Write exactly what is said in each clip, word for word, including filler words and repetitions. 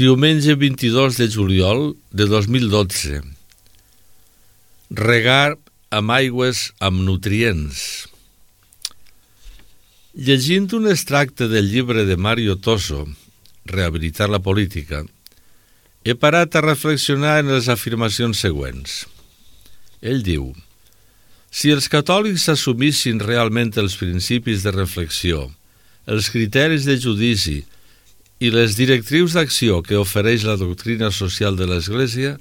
Diumenge vint-i-dos de juliol de dos mil dotze. Regar amb aigües amb nutrients. Llegint un extracte del llibre de Mario Toso, Rehabilitar la política, he parat a reflexionar en les afirmacions següents. Ell diu: si els catòlics assumissin realment els principis de reflexió, els criteris de judici i les directrius d'acció que ofereix la doctrina social de l'Església,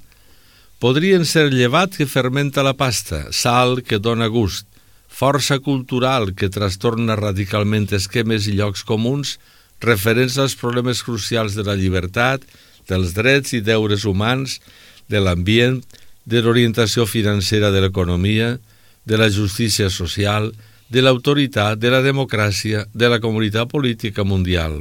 podrien ser llevat que fermenta la pasta, sal que dona gust, força cultural que trastorna radicalment esquemes i llocs comuns referents als problemes crucials de la llibertat, dels drets i deures humans, de l'ambient, de l'orientació financera de l'economia, de la justícia social, de l'autoritat, de la democràcia, de la comunitat política mundial.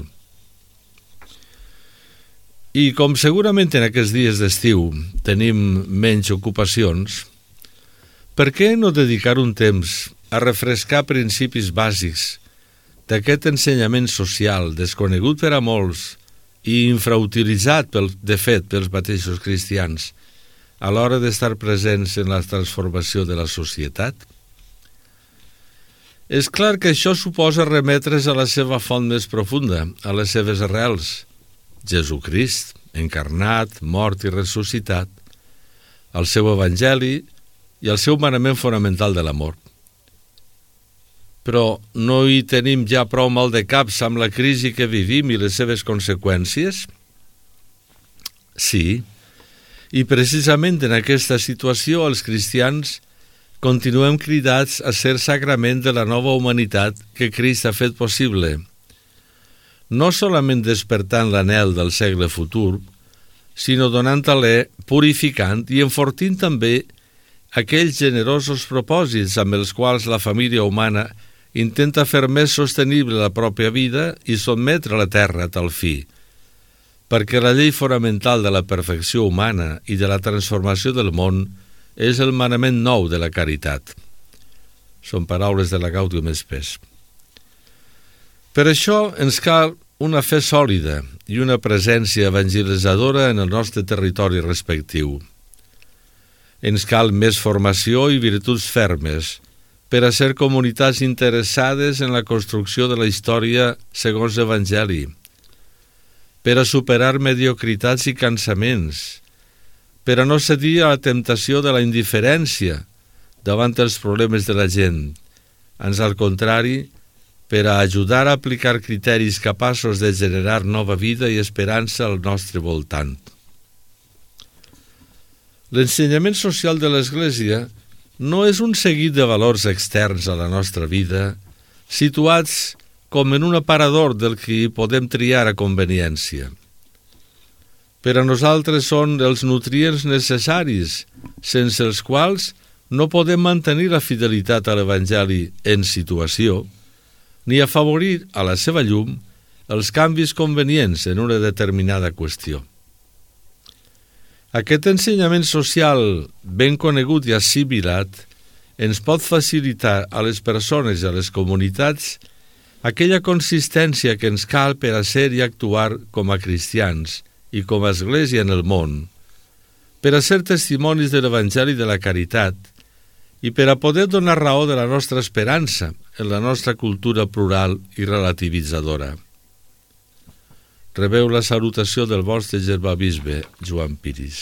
I com segurament en aquests dies d'estiu tenim menys ocupacions, per què no dedicar un temps a refrescar principis bàsics d'aquest ensenyament social desconegut per a molts i infrautilitzat, pel, de fet, pels mateixos cristians a l'hora d'estar presents en la transformació de la societat? És clar que això suposa remetre's a la seva font més profunda, a les seves arrels, Jesucrist, encarnat, mort i ressuscitat, al seu evangeli i al seu manament fonamental de l'amor. Però no hi tenim ja prou mal de caps amb la crisi que vivim i les seves conseqüències? Sí, i precisament en aquesta situació els cristians continuem cridats a ser sagrament de la nova humanitat que Crist ha fet possible, no solament despertant l'anhel del segle futur, sinó donant alè, purificant i enfortint també aquells generosos propòsits amb els quals la família humana intenta fer més sostenible la pròpia vida i sotmetre la terra a tal fi, perquè la llei fonamental de la perfecció humana i de la transformació del món és el manament nou de la caritat. Són paraules de la Gaudium Spes. Per això ens cal una fe sòlida i una presència evangelitzadora en el nostre territori respectiu. Ens cal més formació i virtuts fermes per a ser comunitats interessades en la construcció de la història segons l'Evangeli, per a superar mediocritats i cansaments, per a no cedir a la temptació de la indiferència davant els problemes de la gent, ans al contrari, per a ajudar a aplicar criteris capaços de generar nova vida i esperança al nostre voltant. L'ensenyament social de l'Església no és un seguit de valors externs a la nostra vida, situats com en un aparador del que podem triar a conveniència. Per a nosaltres són els nutrients necessaris, sense els quals no podem mantenir la fidelitat a l'Evangeli en situació, ni afavorir a la seva llum els canvis convenients en una determinada qüestió. Aquest ensenyament social ben conegut i assimilat ens pot facilitar a les persones i a les comunitats aquella consistència que ens cal per a ser i actuar com a cristians i com a església en el món, per a ser testimonis de l'Evangeli de la caritat i per a poder donar raó de la nostra esperança en la nostra cultura plural i relativitzadora. Rebeu la salutació del vostre germà bisbe, Joan Piris.